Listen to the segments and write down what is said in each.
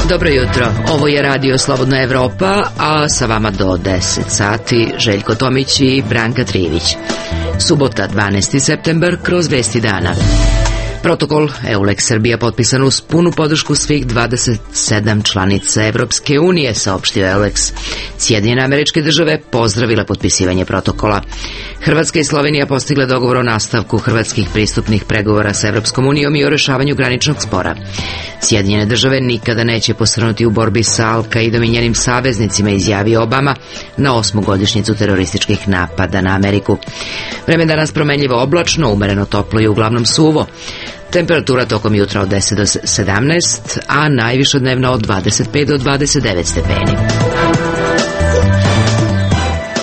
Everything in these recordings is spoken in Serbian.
Dobro jutro, ovo je Radio Slobodna Evropa, a sa vama do 10 sati Željko Tomić i Branka Trivić. Subota, 12. septembar, kroz vesti dana. Protokol EULEX Srbija potpisan uz punu podršku svih 27 članica Evropske unije, saopštio EULEX. Sjedinjene Američke Države pozdravile potpisivanje protokola. Hrvatska i Slovenija postigle dogovor o nastavku hrvatskih pristupnih pregovora sa Evropskom unijom i o rešavanju graničnog spora. Sjedinjene Države nikada neće posrnuti u borbi sa Al-Kaidom i njenim saveznicima, izjavio Obama na 8. godišnjicu terorističkih napada na Ameriku. Vreme danas promenljivo oblačno, umereno toplo i uglavnom suvo. Temperatura tokom jutra od 10 do 17, a najviše dnevno od 25 do 29 stepeni.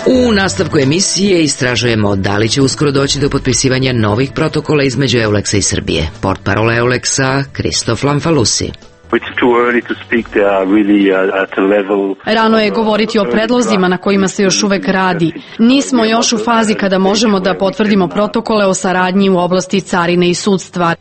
U nastavku emisije istražujemo da li će uskoro doći do potpisivanja novih protokola između EULEX-a i Srbije. Portparol EULEX-a Kristof Lamfalusi. Rano je govoriti o predlozima na kojima se još uvek radi. Nismo još u fazi kada možemo da potvrdimo protokole o saradnji u oblasti carine i sudstva.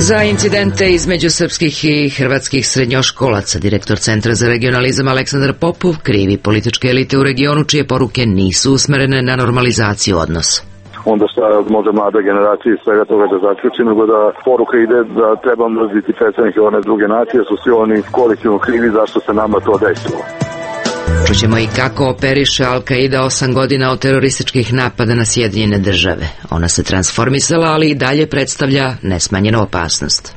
Za incidente između srpskih i hrvatskih srednjoškolaca direktor Centra za regionalizam Aleksandar Popov krivi političke elite u regionu čije poruke nisu usmerene na normalizaciju odnosa. Onda šta može mlada generacija iz svega toga da zaključi, nego da poruka ide da treba mrziti predstavnike one druge nacije, su svi oni kolektivno krivi zašto se nama to desilo. Čućemo i kako operiše Al-Kaida 8 godina od terorističkih napada na Sjedinjene Države. Ona se transformisala, ali i dalje predstavlja nesmanjenu opasnost.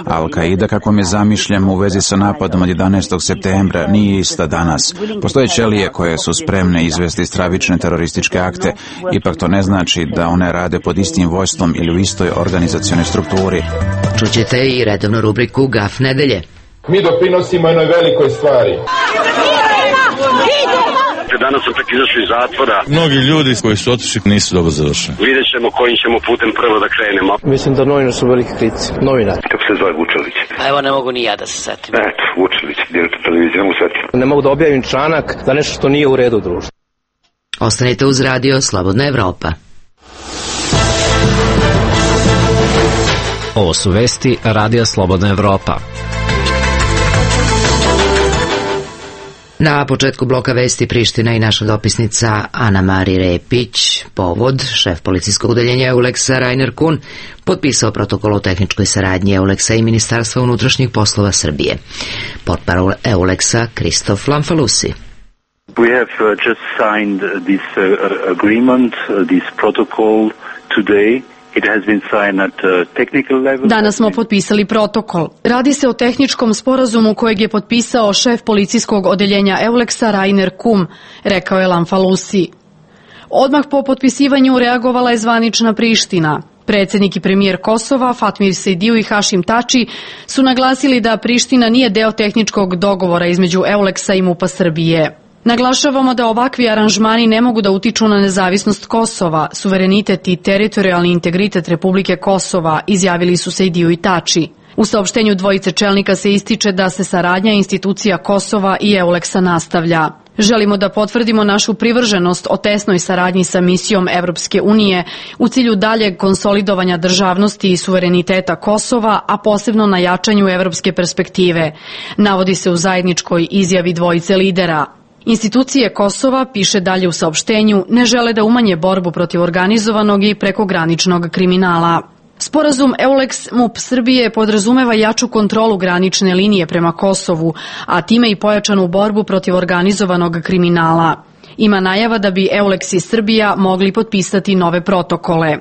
Al-Kaida, kako mi zamišljamo u vezi sa napadom od 11. septembra, nije ista danas. Postoje ćelije koje su spremne izvesti stravične terorističke akte, ipak to ne znači da one rade pod istim vojstvom ili u istoj organizacionoj strukturi. Čućete i redovnu rubriku Gaf nedelje. Mi doprinosimo jednoj velikoj stvari. Danas sam tek izašao iz zatvora. Mnogi ljudi koji su otišli nisu dobro završeni. Vidjet ćemo kojim ćemo putem prvo da krenemo. Mislim da novinar su veliki kritici. Novinar. Kako se zove Vučelić? A evo ne mogu ni ja da se setim. Eto, Vučelić, direktor televizije, ne mogu setiti. Ne mogu da objavim članak za nešto što nije u redu u društvu. Ostanite uz Radio Slobodna Evropa. Ovo su vesti Radio Slobodna Evropa. Na početku bloka vesti Priština i naša dopisnica Ana Mari Repić. Povod, šef policijskog udeljenja EULEX-a Rainer Kuhn potpisao protokol o tehničkoj saradnji EULEX-a i Ministarstva unutrašnjih poslova Srbije. Portparol EULEX-a Kristof Lamfalusi. We have just signed this agreement, this protocol today. Danas smo potpisali protokol. Radi se o tehničkom sporazumu kojeg je potpisao šef policijskog odeljenja EULEX-a Rainer Kuhn, rekao je Lamfalusi. Odmah po potpisivanju reagovala je zvanična Priština. Predsjednik i premijer Kosova Fatmir Sejdiu i Hašim Tači su naglasili da Priština nije deo tehničkog dogovora između EULEX-a i MUP-a Srbije. Naglašavamo da ovakvi aranžmani ne mogu da utiču na nezavisnost Kosova, suverenitet i teritorijalni integritet Republike Kosova, izjavili su Sejdiu i Tači. U saopštenju dvojice čelnika se ističe da se saradnja institucija Kosova i EULEX-a nastavlja. Želimo da potvrdimo našu privrženost o tesnoj saradnji sa misijom Evropske unije u cilju daljeg konsolidovanja državnosti i suvereniteta Kosova, a posebno na jačanju evropske perspektive, navodi se u zajedničkoj izjavi dvojice lidera. Institucije Kosova, piše dalje u saopštenju, ne žele da umanje borbu protiv organizovanog i prekograničnog kriminala. Sporazum EULEX-MUP Srbije podrazumeva jaču kontrolu granične linije prema Kosovu, a time i pojačanu borbu protiv organizovanog kriminala. Ima najava da bi EULEX i Srbija mogli potpisati nove protokole.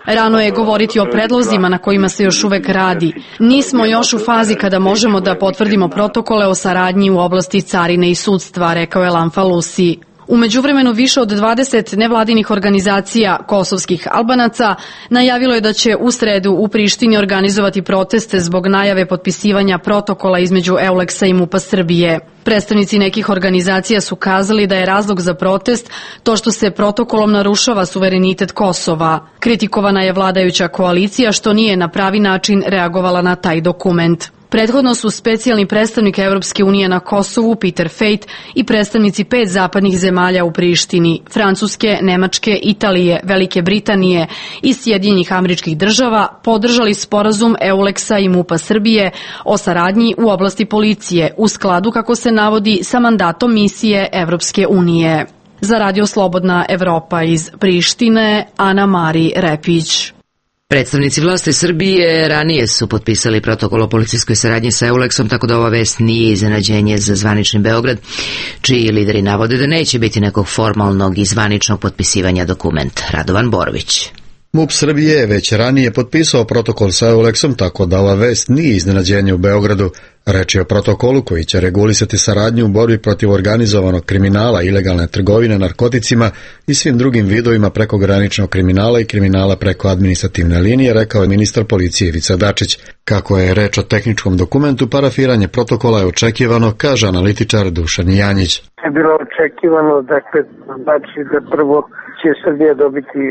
Rano je govoriti o predlozima na kojima se još uvek radi. Nismo još u fazi kada možemo da potvrdimo protokole o saradnji u oblasti carine i sudstva, rekao je Lamfalusi. U međuvremenu više od 20 nevladinih organizacija kosovskih Albanaca najavilo je da će u sredu u Prištini organizovati proteste zbog najave potpisivanja protokola između EULEX-a i MUP-a Srbije. Predstavnici nekih organizacija su kazali da je razlog za protest to što se protokolom narušava suverenitet Kosova. Kritikovana je vladajuća koalicija što nije na pravi način reagovala na taj dokument. Prethodno su specijalni predstavnik Evropske unije na Kosovu Peter Fejt i predstavnici 5 zapadnih zemalja u Prištini, Francuske, Nemačke, Italije, Velike Britanije i Sjedinjenih Američkih Država podržali sporazum EULEX-a i MUP-a Srbije o saradnji u oblasti policije u skladu, kako se navodi, sa mandatom misije Evropske unije. Za Radio Slobodna Evropa iz Prištine, Ana Mari Repić. Predstavnici vlasti Srbije ranije su potpisali protokol o policijskoj saradnji sa EULEX-om, tako da ova vest nije iznenađenje za zvanični Beograd, čiji lideri navode da neće biti nekog formalnog i zvaničnog potpisivanja dokumenta. Radovan Borović. MUP Srbije je već ranije potpisao protokol sa EULEX-om, tako da ova vest nije iznenađenje u Beogradu. Reč je o protokolu koji će regulisati saradnju u borbi protiv organizovanog kriminala, ilegalne trgovine narkoticima i svim drugim vidovima prekograničnog kriminala i kriminala preko administrativne linije, rekao je ministar policije Ivica Dačić. Kako je reč o tehničkom dokumentu, parafiranje protokola je očekivano, kaže analitičar Dušan Janjić. Je bilo očekivano, dakle, znači da prvo će Srbija dobiti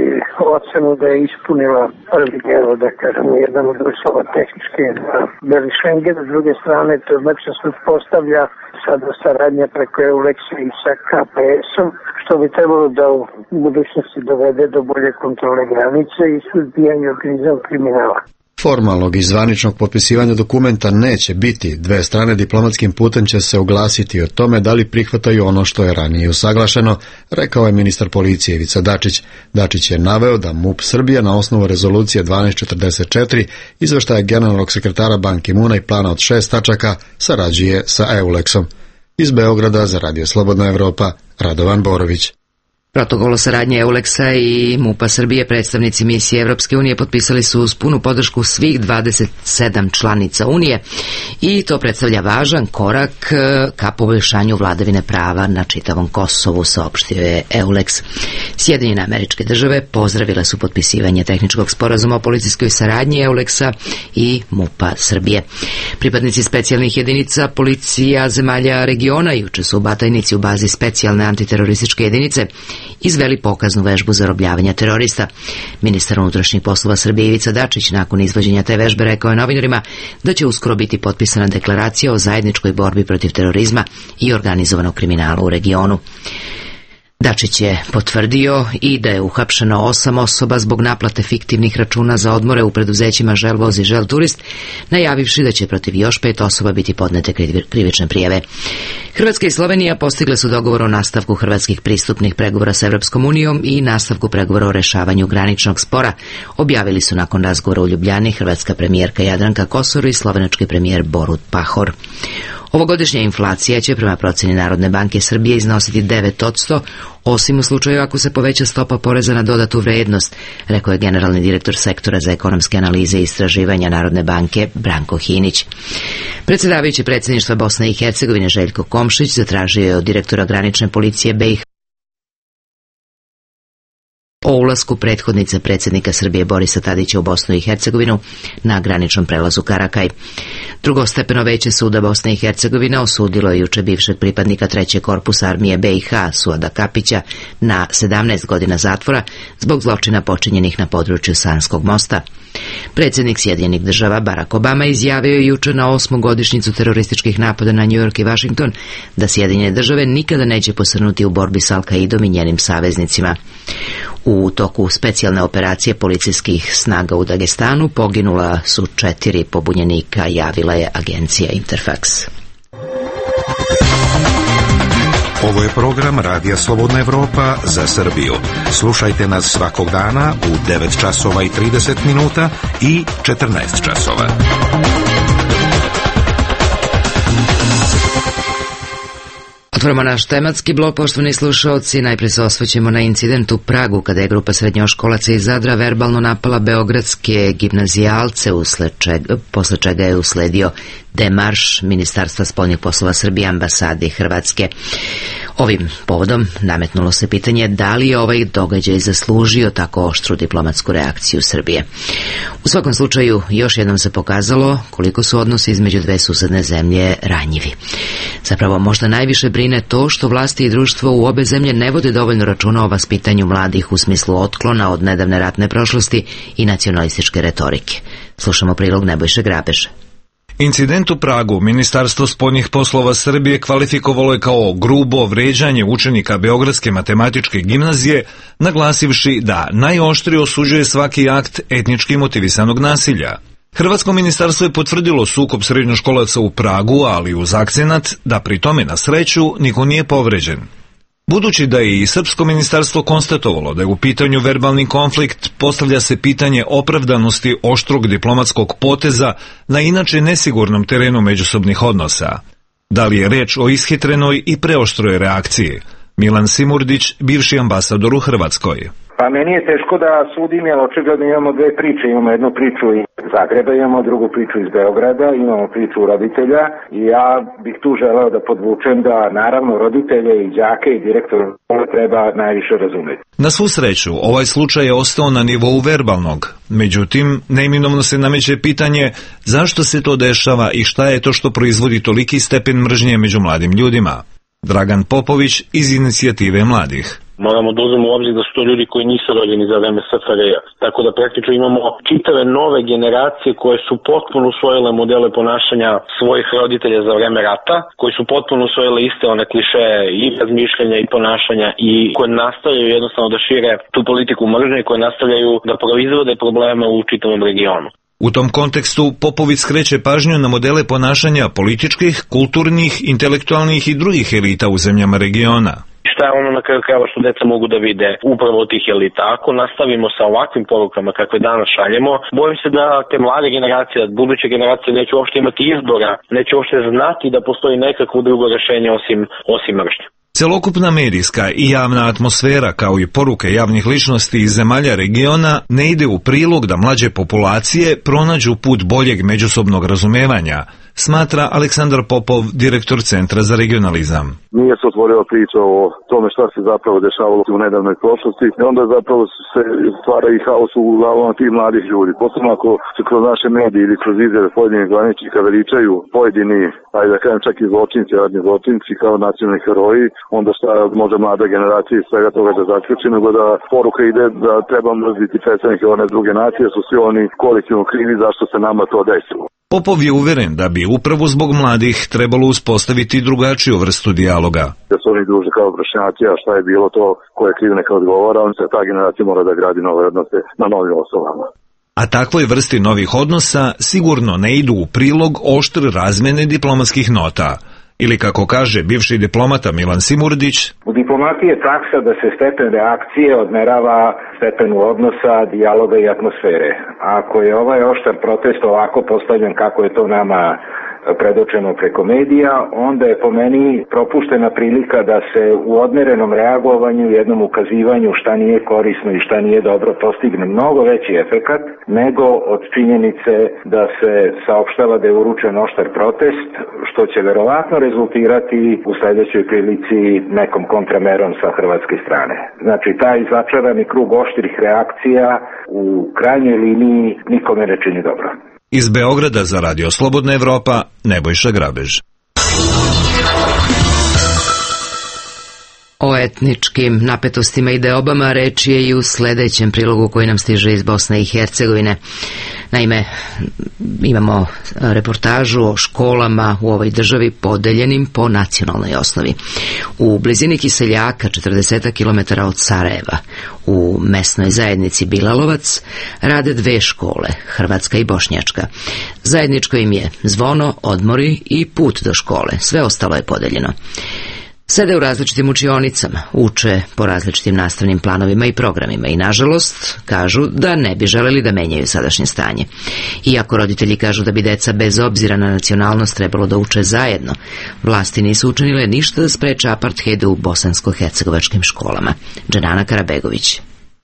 ocenu da je ispunila prvi deo, da kažemo, jedan od uslova tehničke beli Schengen. S druge strane, to znači da se postavlja sada saradnja preko EULEX-a i sa KPS-om, što bi trebalo da u budućnosti dovede do bolje kontrole granice i suzbijanja organizovanog kriminala. Formalnog i zvaničnog potpisivanja dokumenta neće biti. Dve strane diplomatskim putem će se oglasiti o tome da li prihvataju ono što je ranije usaglašeno, rekao je ministar policije Ivica Dačić. Dačić je naveo da MUP Srbije na osnovu rezolucije 1244, izveštaja generalnog sekretara Ban Ki-moona i plana od 6 tačaka sarađuje sa EULEX-om. Iz Beograda za Radio Slobodna Evropa, Radovan Borović. Protokol o saradnji EULEX-a i MUP-a Srbije predstavnici misije Evropske unije potpisali su uz punu podršku svih 27 članica Unije i to predstavlja važan korak ka poboljšanju vladavine prava na čitavom Kosovu, saopštio je EULEX. Sjedinjene Američke Države pozdravile su potpisivanje tehničkog sporazuma o policijskoj saradnji EULEX-a i MUP-a Srbije. Pripadnici specijalnih jedinica policija zemalja regiona juče su u Batajnici u bazi specijalne antiterorističke jedinice izveli pokaznu vežbu zarobljavanja terorista. Ministar unutrašnjih poslova Srbije Ivica Dačić nakon izvođenja te vežbe rekao je novinarima da će uskoro biti potpisana deklaracija o zajedničkoj borbi protiv terorizma i organizovanog kriminala u regionu. Dačić je potvrdio i da je uhapšeno 8 osoba zbog naplate fiktivnih računa za odmore u preduzećima Želvoz i Žel Turist, najavivši da će protiv još 5 osoba biti podnete krivične prijave. Hrvatska i Slovenija postigle su dogovor o nastavku hrvatskih pristupnih pregovora s Evropskom unijom i nastavku pregovora o rešavanju graničnog spora, objavili su nakon razgovora u Ljubljani hrvatska premijerka Jadranka Kosor i slovenački premijer Borut Pahor. Ovogodišnja inflacija će prema proceni Narodne banke Srbije iznositi 9%, osim u slučaju ako se poveća stopa poreza na dodatu vrednost, rekao je generalni direktor sektora za ekonomske analize i istraživanja Narodne banke Branko Hinić. Predsjedavajući predsjedništva Bosne i Hercegovine Željko Komšić zatražio je od direktora granične policije BiH o ulasku prethodnice predsjednika Srbije Borisa Tadića u Bosnu i Hercegovinu na graničnom prelazu Karakaj. Drugostepeno veće suda Bosne i Hercegovine osudilo je juče bivšeg pripadnika 3. korpusa armije BiH Suada Kapića na 17 godina zatvora zbog zločina počinjenih na području Sanskog mosta. Predsjednik Sjedinjenih Država Barack Obama izjavio je juče na 8. godišnjicu terorističkih napada na New York i Washington da Sjedinjene Države nikada neće posrnuti u borbi s Al-Kaidom i njenim saveznicima. U toku specijalne operacije policijskih snaga u Dagestanu poginula su 4 pobunjenika, javila je agencija Interfax. Ovo je program Radija Slobodna Evropa za Srbiju. Slušajte nas svakog dana u 9 časova i 30 minuta i 14 časova. Otvorimo naš tematski blok, poštovani slušalci. Najprije se osvrćemo na incident u Pragu, kada je grupa srednjoškolaca iz Zadra verbalno napala beogradske gimnazijalce, posle čega je usledio demarš Ministarstva spoljnih poslova Srbije, ambasade Hrvatske. Ovim povodom nametnulo se pitanje da li je ovaj događaj zaslužio tako oštru diplomatsku reakciju Srbije. U svakom slučaju, još jednom se pokazalo koliko su odnosi između dve susedne zemlje ranjivi. Zapravo, možda najviše brine to što vlasti i društvo u obe zemlje ne vode dovoljno računa o vaspitanju mladih u smislu otklona od nedavne ratne prošlosti i nacionalističke retorike. Slušamo prilog Nebojše Grabeša. Incident u Pragu Ministarstvo spoljnih poslova Srbije kvalifikovalo je kao grubo vrijeđanje učenika Beogradske matematičke gimnazije, naglasivši da najoštrije osuđuje svaki akt etnički motivisanog nasilja. Hrvatsko ministarstvo je potvrdilo sukob srednjoškolaca u Pragu, ali uz akcenat da pri tome na sreću niko nije povređen. Budući da je i srpsko ministarstvo konstatovalo da je u pitanju verbalni konflikt, postavlja se pitanje opravdanosti oštrog diplomatskog poteza na inače nesigurnom terenu međusobnih odnosa. Da li je reč o ishitrenoj i preoštroj reakciji? Milan Simurdić, bivši ambasador u Hrvatskoj. Pa meni je teško da sudim, jer očigledno imamo dve priče. Imamo jednu priču iz Zagreba, imamo drugu priču iz Beograda, imamo priču roditelja i ja bih tu želeo da podvučem da naravno roditelje i đake i direktora treba najviše razumeti. Na svu sreću, ovaj slučaj je ostao na nivou verbalnog. Međutim, neminovno se nameće pitanje zašto se to dešava i šta je to što proizvodi toliki stepen mržnje među mladim ljudima. Dragan Popović iz Inicijative mladih. Moramo da uzmemo u obzir da su to ljudi koji nisu rođeni za vreme SFRJ-a. Tako da praktično imamo čitave nove generacije koje su potpuno usvojile modele ponašanja svojih roditelja za vreme rata, koji su potpuno usvojile iste one klišeje i razmišljanja i ponašanja i koje nastavljaju jednostavno da šire tu politiku mržnje i koje nastavljaju da proizvode probleme u čitavom regionu. U tom kontekstu Popović skreće pažnju na modele ponašanja političkih, kulturnih, intelektualnih i drugih elita u zemljama regiona. Šta je ono na kraju krajeva što deca mogu da vide upravo od tih elita? Ako nastavimo sa ovakvim porukama kakve danas šaljemo, bojim se da te mlade generacije, buduće generacije neće uopšte imati izbora, neće uopšte znati da postoji nekakvo drugo rešenje osim mržnje. Celokupna medijska i javna atmosfera kao i poruke javnih ličnosti iz zemalja regiona ne ide u prilog da mlađe populacije pronađu put boljeg međusobnog razumevanja, smatra Aleksandar Popov, direktor Centra za regionalizam. Nije se otvorila priča o tome šta se zapravo dešavalo u nedavnoj prošlosti i onda zapravo se stvara i haos u glavama tih mladih ljudi. Posebno ako se kroz naše medije ili kroz izjave pojedinih zvaničnika veličaju pojedini, ajde da kažem čak i zločinci, radni zločinci kao nacionalni heroji, onda šta može mlada generacija iz svega toga da zaključi, nego da poruka ide da treba mrziti predstavnike one druge nacije, su svi oni kolektivno krivi zašto se nama to desilo. Popov je uveren da bi upravo zbog mladih trebalo uspostaviti drugačiju vrstu dijaloga. Da su oni duže kao vršnjaci, a šta je bilo to ko je kriv neka odgovara, on se ta generacija mora da gradi nove odnose na novim osnovama. A takvoj vrsti novih odnosa sigurno ne idu u prilog oštre razmene diplomatskih nota. Ili kako kaže bivši diplomata Milan Simurdić, u diplomatiji je praksa da se stepen reakcije odmerava stepenu odnosa, dijaloga i atmosfere. Ako je ovaj oštar protest ovako postavljen kako je to nama predočeno preko medija, onda je po meni propuštena prilika da se u odmerenom reagovanju, jednom ukazivanju šta nije korisno i šta nije dobro postigne mnogo veći efekat nego od činjenice da se saopštava da je uručen oštar protest, što će verovatno rezultirati u sledećoj prilici nekom kontramerom sa hrvatske strane. Znači, taj začarani krug oštrih reakcija u krajnjoj liniji nikome ne čini dobro. Iz Beograda za Radio Slobodna Evropa, Nebojša Grabež. O etničkim napetostima i deobama reč je i u sledećem prilogu koji nam stiže iz Bosne i Hercegovine. Naime, imamo reportažu o školama u ovoj državi podeljenim po nacionalnoj osnovi. U blizini Kiseljaka, 40 km od Sarajeva, u mesnoj zajednici Bilalovac, rade dve škole, hrvatska i bošnjačka. Zajedničko im je zvono, odmori i put do škole. Sve ostalo je podeljeno. Sede u različitim učionicama, uče po različitim nastavnim planovima i programima i, nažalost, kažu da ne bi želeli da menjaju sadašnje stanje. Iako roditelji kažu da bi deca bez obzira na nacionalnost trebalo da uče zajedno, vlasti nisu učinile ništa da spreče aparthejde u bosansko-hercegovačkim školama. Dženana Karabegović.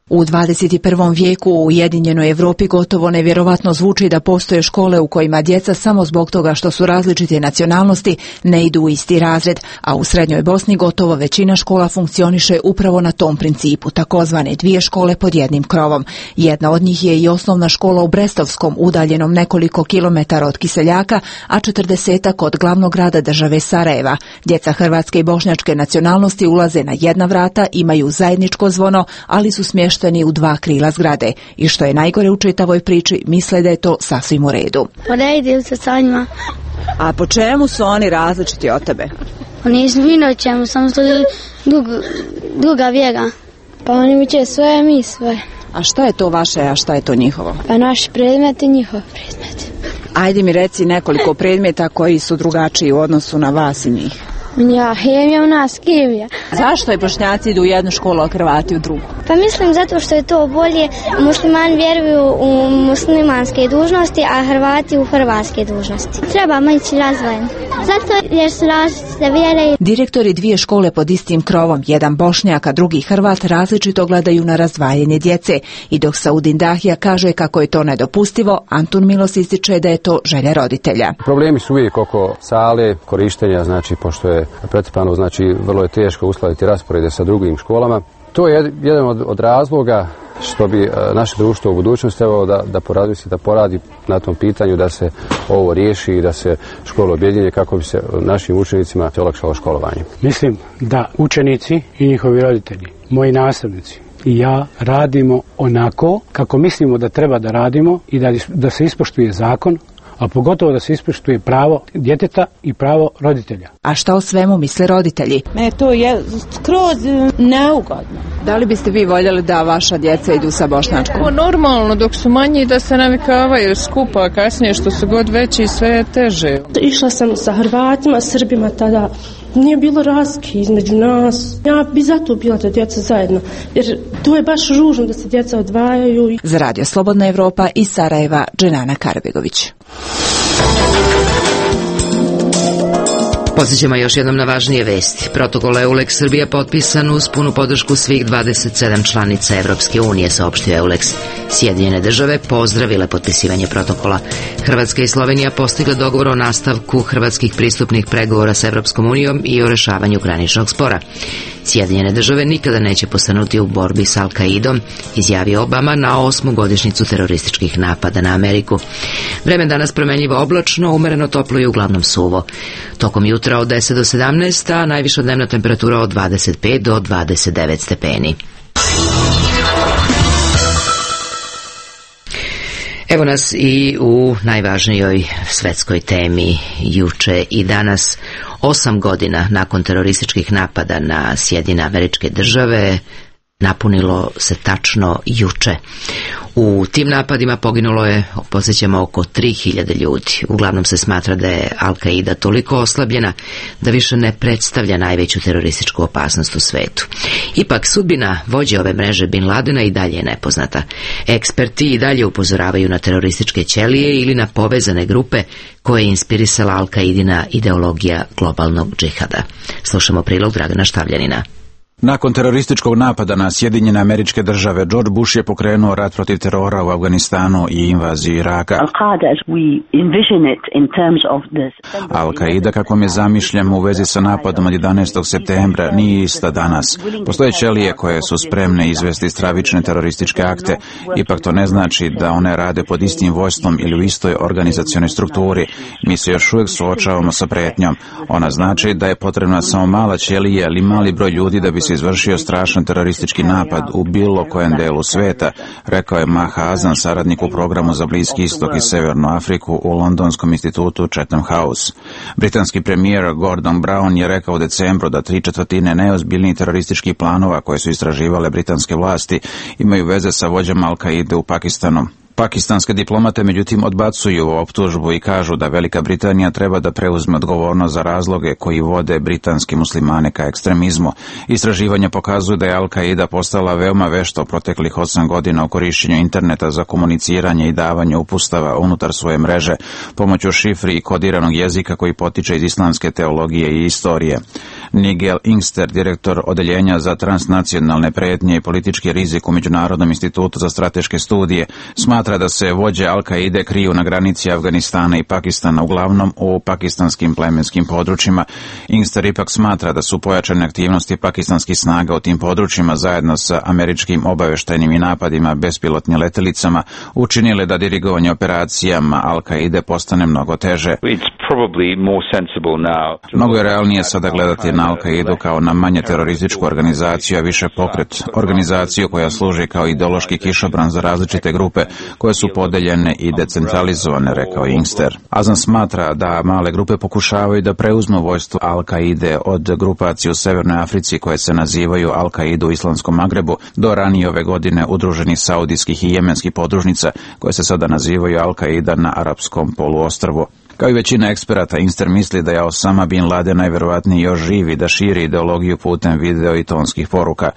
U 21. vijeku u Ujedinjenoj Evropi gotovo nevjerovatno zvuči da postoje škole u kojima djeca samo zbog toga što su različite nacionalnosti ne idu u isti razred, a u Srednjoj Bosni gotovo većina škola funkcioniše upravo na tom principu, takozvane dvije škole pod jednim krovom. Jedna od njih je i osnovna škola u Brestovskom, udaljenom nekoliko kilometara od Kiseljaka, a 40-ak od glavnog grada države Sarajeva. Djeca hrvatske i bošnjačke nacionalnosti ulaze na jedna vrata, imaju zajedničko zvono, ali su smješteni smešteni u 2 krila zgrade i što je najgore u čitavoj priči, misle da je to sasvim u redu. Poredim se sa njima. A po čemu su oni različiti od tebe? Oni su vino čemu, samo što je druga vjera. Pa oni mi će svoje, mi svoje. A šta je to vaše, a šta je to njihovo? Pa naši predmeti i njihov predmet. Ajde mi reci nekoliko predmeta koji su drugačiji u odnosu na vas i njih. Ja, hemija, u nas kemija. Zašto je Bošnjaci idu u jednu školu, a Hrvati u drugu? Pa mislim zato što je to bolje. Muslimani vjeruju u muslimanske dužnosti, a Hrvati u hrvatske dužnosti. Trebamo ići razvojeno. Zato jer su različite vjere. Direktori 2 škole pod istim krovom, jedan Bošnjak, a drugi Hrvat, različito gledaju na razdvajanje djece. I dok Saudin Dahija kaže kako je to nedopustivo, Antun Milos ističe da je to želja roditelja. Problemi su uvijek oko sale, korištenja, znači pošto je pretrpano, znači vrlo je teško uskladiti rasporede sa drugim školama. To je jedan od razloga što bi naše društvo u budućnosti trebalo da poradi na tom pitanju da se ovo riješi i da se škole objedinje kako bi se našim učenicima olakšalo školovanje. Mislim da učenici i njihovi roditelji, moji nastavnici i ja radimo onako kako mislimo da treba da radimo i da se ispoštuje zakon, a pogotovo da se ispoštuje pravo djeteta i pravo roditelja. A šta o svemu misle roditelji? Mene to je skroz neugodno. Da li biste vi voljeli da vaša djeca idu sa bošnjačkom? Normalno, dok su manji da se navikavaju skupa, a kasnije što su god veći sve je teže. Išla sam sa Hrvatima, Srbima tada. Nije bilo razlike između nas. Ja bi zato bila da djeca zajedno, jer to je baš ružno da se djeca odvajaju. Za Radio Slobodna Evropa iz Sarajeva, Dženana Karbegović. Podsjećamo još jednom na važnije vesti. Protokol EULEX Srbija potpisan uz punu podršku svih 27 članica Evropske unije, saopštio EULEX. Sjedinjene države pozdravile potpisivanje protokola. Hrvatska i Slovenija postigle dogovor o nastavku hrvatskih pristupnih pregovora s Evropskom unijom i o rešavanju graničnog spora. Sjedinjene države nikada neće postanuti u borbi s Al-Kaidom, izjavio Obama na 8. godišnjicu terorističkih napada na Ameriku. Vreme danas promenljivo oblačno, umereno toplo i uglavnom suvo. Tokom jutra od 10 do 17, a najviša dnevna temperatura od 25 do 29 stepeni. Evo nas i u najvažnijoj svetskoj temi juče i danas. 8 godina nakon terorističkih napada na Sjedinjene Američke Države napunilo se tačno juče. U tim napadima poginulo je, podsjećamo, oko 3000 ljudi. Uglavnom se smatra da je Al-Kaida toliko oslabljena da više ne predstavlja najveću terorističku opasnost u svetu. Ipak sudbina vođe ove mreže Bin Ladena i dalje je nepoznata. Eksperti i dalje upozoravaju na terorističke ćelije ili na povezane grupe koje je inspirisala Al-Kaidina ideologija globalnog džihada. Slušamo prilog Dragana Štavljanina. Nakon terorističkog napada na Sjedinjene Američke Države, George Bush je pokrenuo rat protiv terora u Afganistanu i invaziju Iraka. Al-Kaida, kakvom je zamišljam u vezi sa napadom od 11. septembra, nije ista danas. Postoje ćelije koje su spremne izvesti stravične terorističke akte, ipak to ne znači da one rade pod istim vojstvom ili u istoj organizacionoj strukturi. Mi se još uvijek suočavamo sa pretnjom. Ona znači da je potrebna samo mala ćelija ili mali broj ljudi da bi se izvršio strašan teroristički napad u bilo kojem delu sveta, rekao je Maha Azan, saradnik u programu za Bliski istok i Severnu Afriku u Londonskom institutu Chatham House. Britanski premijer Gordon Brown je rekao u decembru da 3/4 najozbiljnijih terorističkih planova koje su istraživale britanske vlasti imaju veze sa vođama Al-Kaide u Pakistanu. Pakistanske diplomate međutim odbacuju optužbu i kažu da Velika Britanija treba da preuzme odgovornost za razloge koji vode britanski muslimane ka ekstremizmu. Istraživanja pokazuju da je Al-Kaida postala veoma vešta u proteklih 8 godina u korišćenju interneta za komuniciranje i davanje upustava unutar svoje mreže pomoću šifri i kodiranog jezika koji potiče iz islamske teologije i istorije. Nigel Inkster, direktor odeljenja za transnacionalne pretnje i politički rizik u Međunarodnom institutu za strateške studije, smatra smatra da se vođe Al-Kaide kriju na granici Afganistana i Pakistana, uglavnom u pakistanskim plemenskim područjima. Inkster ipak smatra da su pojačane aktivnosti pakistanskih snaga u tim područjima zajedno sa američkim obaveštajnim i napadima bespilotnim letelicama učinile da dirigovanje operacijama Al-Kaide postane mnogo teže. Mnogo je realnije sada gledati na Al-Kaidu kao na manje terorističku organizaciju, a više pokret, organizaciju koja služi kao ideološki kišobran za različite grupe koje su podeljene i decentralizovane, rekao Inkster. Azan smatra da male grupe pokušavaju da preuzmu vojstvo Al-Kaide od grupacije u Severnoj Africi koje se nazivaju Al-Kaidu u Islamskom Magrebu do ranije ove godine udruženih saudijskih i jemenskih podružnica koje se sada nazivaju Al-Kaida na arapskom poluostrvu. Kao i većina eksperata, Inkster misli da je Osama bin Laden najverovatnije još živ i da širi ideologiju putem video i tonskih poruka.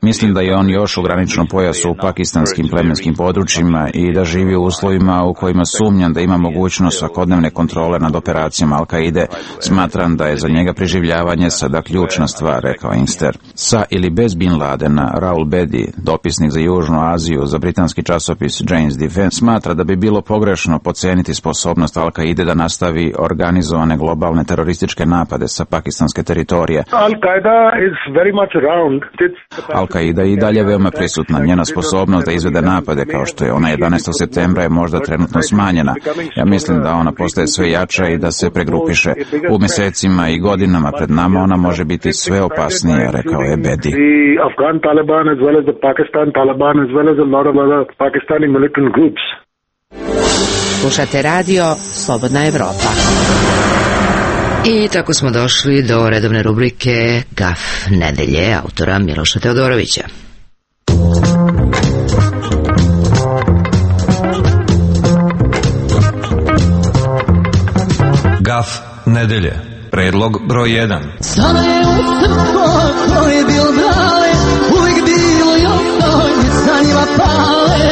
Mislim da je on još u graničnom pojasu u pakistanskim plemenskim područjima i da živi u uslovima u kojima sumnjam da ima mogućnost svakodnevne kontrole nad operacijama Al-Kaide. Smatram da je za njega preživljavanje sada ključna stvar, rekao Inkster. Sa ili bez bin Ladena, Raul Bedi, dopisnik za Južnu Aziju za britanski časopis Jane's Defense, smatra da bi bilo pogrešno podceniti sposobnost Al-Kaide da nastavi organizovane globalne terorističke napade sa pakistanske teritorije. Al-Kaida je i dalje veoma prisutna. Njena sposobnost da izvede napade kao što je ona 11. septembra je možda trenutno smanjena. Ja mislim da ona postaje sve jača i da se pregrupiše. U mjesecima i godinama pred nama ona može biti sve opasnija, rekao je Bedi. Afghan Taliban as well as the Pakistan Taliban as well as a lot of other Pakistani militant groups. Slušate radio Slobodna Evropa. I tako smo došli do redovne rubrike Gaf nedelje autora Miloša Teodorovića. Gaf nedelje. Predlog broj 1. Sada je u srko koje bil brale, uvijek bilo i ostoj, sa njima pale.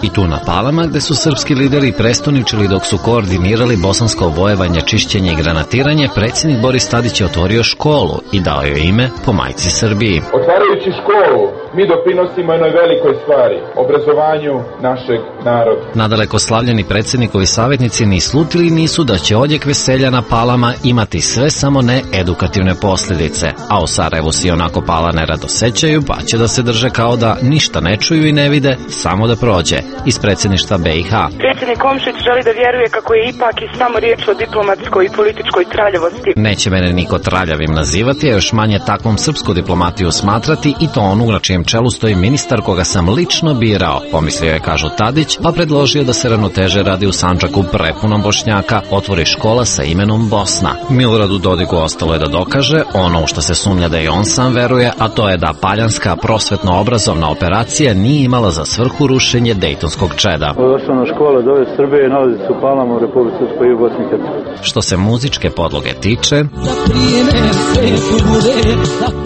I tu na Palama, gde su srpski lideri prestoničili dok su koordinirali bosansko obojevanje, čišćenje i granatiranje, predsjednik Boris Tadić je otvorio školu i dao joj ime po majci Srbiji. Otvarajući školu, mi doprinosimo jednoj velikoj stvari, obrazovanju našeg naroda. Nadaleko slavljeni predsjednikovi savjetnici ni slutili nisu da će odjek veselja na Palama imati sve samo ne edukativne posljedice, a u Sarajevu si onako Pala nerado sećaju, pa će da se drže kao da ništa ne čuju i ne vide, samo da prođe. Iz predsjedništva BiH. Predsjednik Komšić želi da vjeruje kako je ipak i samo riječ o diplomatskoj i političkoj traljavosti. Neće mene niko traljavim nazivati, a još manje takvom srpsku diplomatiju smatrati, i to onu na čijem čelu stoji ministar koga sam lično birao, pomislio je, kažu Tadić, pa predložio da se ravnoteže radi u Sandžaku prepunom Bošnjaka otvori škola sa imenom Bosna. Miloradu Dodiku ostalo je da dokaže ono u što se sumnja da i on sam veruje, a to je da paljanska prosvetno-obrazovna operacija nije imala za svrhu rušenje dejtonskog čeda. Osnovna škola zove Srbije, nalazi se u Palama u Republici Srpskoj i u Bosni i Hercegovini. Što se muzičke podloge tiče,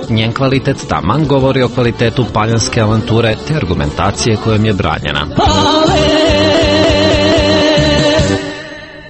njen kvalitet taman govori o kvalitetu paljanske avanture te argumentacije kojom je branjena.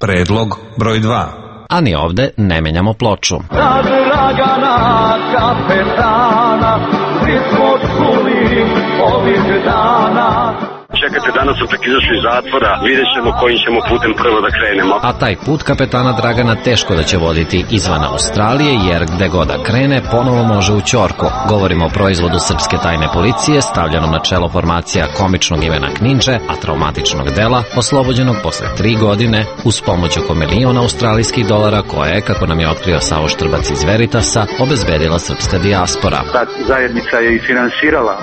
Predlog broj 2. A ni ovde ne menjamo ploču. Dragana kapetana, svi smo čuli ovih dana. Čekajte, danas sam tek izašli iz zatvora, vidjet ćemo kojim ćemo putem prvo da krenemo. A taj put kapetana Dragana teško da će voditi izvan Australije, jer gde god da krene, ponovo može u ćorku. Govorimo o proizvodu srpske tajne policije, stavljenom na čelo formacija komičnog Ivana Kninđe, a traumatičnog dela, oslobođenog posle 3 godine, uz pomoć oko $1 milion australijskih dolara, koje je, kako nam je otkrio Savo Štrbac iz Veritasa, obezbedila srpska dijaspora. Ta zajednica je i finansirala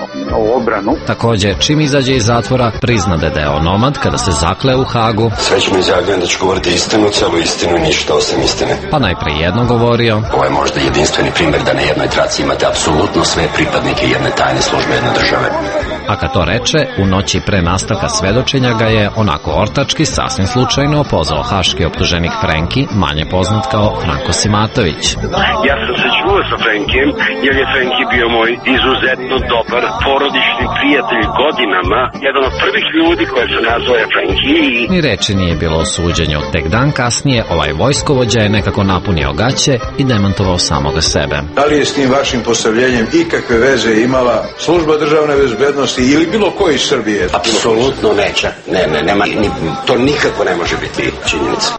obranu. Takođe, čim izađe iz zatvora, priznade da je onomad kada se zakle u Hagu. Srećno izjavljujem da ću govoriti istinu, celu istinu i ništa osim istine. Pa najpre jedno govorio. Ovo je možda jedinstveni primjer da na jednoj traci imate apsolutno sve pripadnike jedne tajne službe jedne države. A kad to reče, u noći pre nastavka svedočenja ga je onako ortački, sasvim slučajno, pozvao haški optuženik Frenki, manje poznat kao Franko Simatović. Ja sam se čuo čuo sa Frenkijem, jer je Frenki bio moj izuzetno dobar porodični prijatelj godinama. Jedan od prvih ljudi koje se nazvao je Frenki. Ni reči nije bilo o suđenju. Tek dan kasnije ovaj vojskovođa je nekako napunio gaće i demantovao samoga sebe. Da li je s tim vašim postavljenjem ikakve veze imala služba državne bezbednosti ili bilo ko iz Srbije? Apsolutno neće. Ne, nema, to nikako ne može biti činjenica.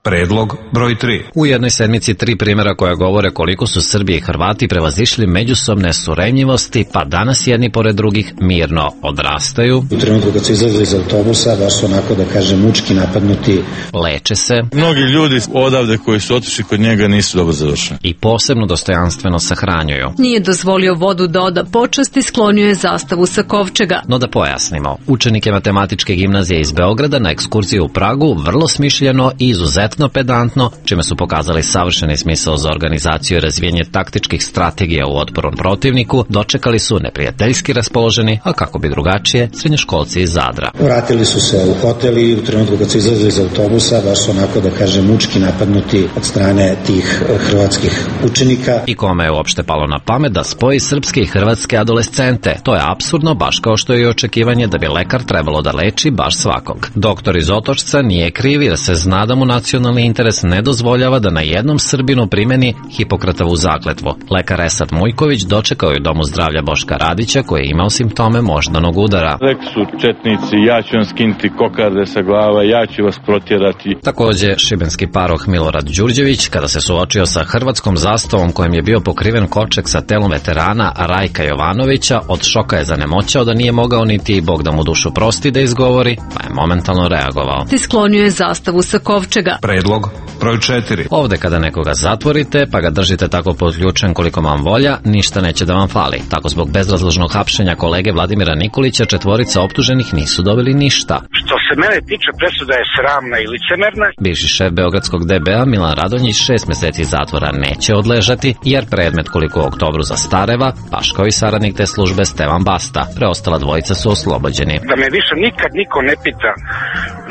Predlog broj 3. U jednoj sedmici 3 primjera koja govore koliko su Srbi i Hrvati prevazišli međusobne suremljivosti, pa danas jedni pored drugih mirno odrastaju. U trenutku kad su izlazili iz autobusa, baš su onako da kažem mučki napadnuti. Leče se. Mnogi ljudi odavde koji su otišli kod njega nisu dobro završeni. I posebno dostojanstveno sahranjuju. Nije dozvolio vodu da oda počast i sklonio je zastavu sa kovčega. No da pojasnimo, učenike matematičke gimnazije iz Beograda na ekskurziju u Pragu vrlo smišljeno i izuzetno pedantno, čime su pokazali savršeni smisao za organizaciju i razvijenje taktičkih strategija u otporu protivniku, dočekali su neprijateljski raspoloženi, a kako bi drugačije, srednjoškolci iz Zadra. Vratili su se u hotel i u trenutku kad su izlazili iz autobusa, baš su onako da kažem mučki napadnuti od strane tih hrvatskih učenika. I kome je uopšte palo na pamet da spoji srpske i hrvatske adolescente? To je apsurdno, baš kao što je i očekivanje da bi lekar trebalo da leči baš svakog. Doktor iz Otočca nije kriv jer se zna da mu nacionalni interes ne dozvoljava da na jednom Srbinu primeni Hipokratovu zakletvu. Lekar Esad Mujković dočekao je u Domu zdravlja Boška Radića koji je imao simptome moždanog udara. Rekli su četnici, ja ću vam skinuti kokarde sa glava, ja ću vas protjerati. Takođe, šibenski paroh Milorad Đurđević, kada se suočio sa hrvatskom zastavom kojim je bio pokriven kovčeg sa telom veterana Rajka Jovanovića, od šoka je zanemoćao da nije mogao niti Bog da mu dušu prosti da izgovori, pa je momentalno reagovao. Ti sklonio je zastavu sa kovčega. Predlog broj 4. Ovde kada nekoga zatvorite, pa ga držite tako podključen koliko vam volja, ništa neće da vam fali. Tako zbog bezrazložnog hapšenja kolege Vladimira Nikolića 4 optuženih nisu dobili ništa. Što se mene tiče, presuda je sramna i licemerna. Bivši šef beogradskog DBA Milan Radonjić 6 meseci zatvora neće odležati, jer predmet koliko u oktobru zastareva, baš kao i saradnik te službe Stevan Basta. Preostala dvojica su oslobođeni. Da me više nikad niko ne pita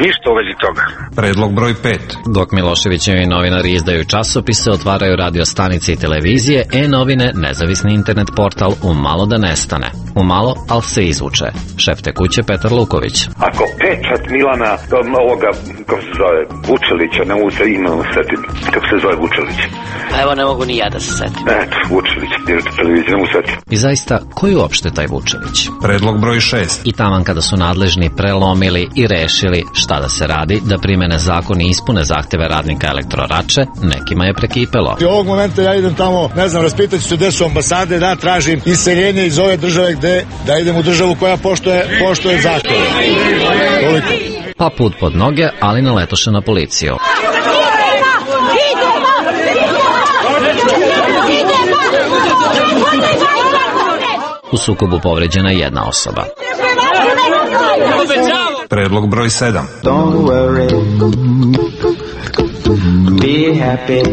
ništa u vezi toga. Predlog broj 5. Dok Miloševićevi novinari izdaju časopise, otvaraju radio stanice i televizije, E-novine, nezavisni internet portal, umalo da nestane. Umalo, ali se izvuče. Šef te kuće Petar Luković. Ako pečat Milana, ovoga, kako se zove, Vučelića, ne mogu se imenom setiti, kako se zove Vučelić. Evo, ne mogu ni ja da se setim. Eto, Vučelić, direktor televizije, ne mogu setiti. I zaista, ko je uopšte taj Vučelić? Predlog broj 6. I taman kada su nadležni prelomili i rešili šta da se radi, da primene zakon i ispune zahteve radnika Elektrorače, nekima je prekipelo. I ovog momenta ja idem tamo, ne znam, raspitaću se gde su ambasade, da tražim iseljenje iz ove države gde, da idem u državu koja poštuje zakon. Toliko. Pa put pod noge, ali naletoše na policiju. U sukobu povređena je jedna osoba. Predlog broj 7. Don't worry, be happy.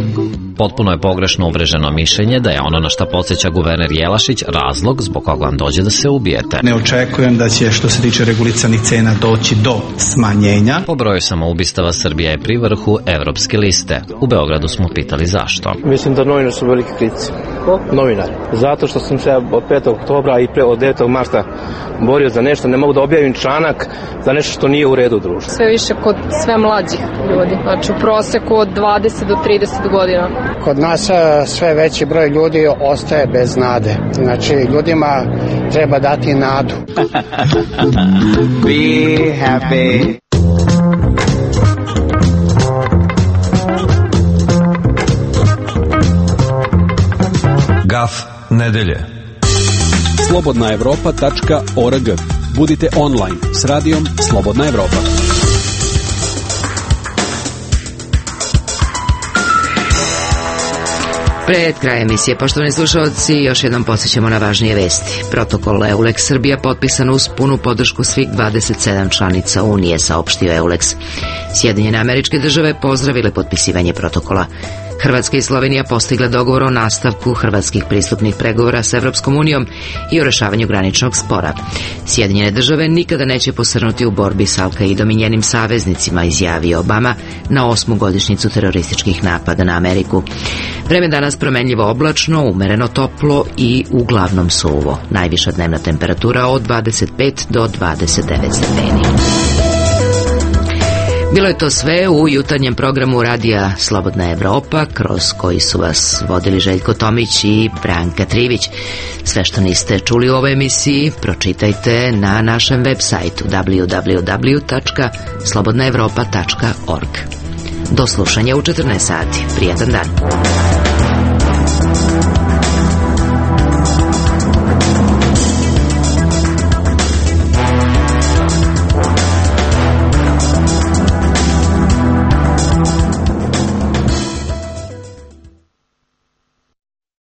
Potpuno je pogrešno uvreženo mišljenje da je ono na šta podsjeća guverner Jelašić razlog zbog koga vam dođe da se ubijete. Ne očekujem da će što se tiče regulisanih cena doći do smanjenja. Po broju samoubistava Srbija je pri vrhu evropske liste. U Beogradu smo pitali zašto. Mislim da novinari su veliki kritici. Novinari. Zato što sam se od 5. oktobra i od 9. marta borio za nešto, ne mogu da objavim članak za nešto što nije u redu u društvu. Sve više kod sve mlađih ljudi, znači u proseku od 20 do 30 godina. Kod nas sve veći broj ljudi ostaje bez nade. Znači, ljudima treba dati nadu. Be happy. Gaf nedelje. slobodnaevropa.org. Budite online s radijom Slobodna Evropa. Pred krajem emisije, poštovani slušalci, još jednom podsjećamo na važnije vesti. Protokol EULEX Srbija potpisan uz punu podršku svih 27 članica Unije, saopštio EULEX. Sjedinjene Američke Države pozdravile potpisivanje protokola. Hrvatska i Slovenija postigle dogovor o nastavku hrvatskih pristupnih pregovora s Evropskom unijom i o rešavanju graničnog spora. Sjedinjene države nikada neće posrnuti u borbi s Al-Kaidom i njenim saveznicima, izjavio Obama na 8. godišnjicu terorističkih napada na Ameriku. Vreme danas promenljivo oblačno, umereno toplo i uglavnom suvo. Najviša dnevna temperatura od 25 do 29 stepeni. Bilo je to sve u jutarnjem programu radija Slobodna Evropa, kroz koji su vas vodili Željko Tomić i Branka Trivić. Sve što niste čuli u ovoj emisiji pročitajte na našem web sajtu www.slobodnaevropa.org. Do slušanja u 14 sati. Prijatan dan.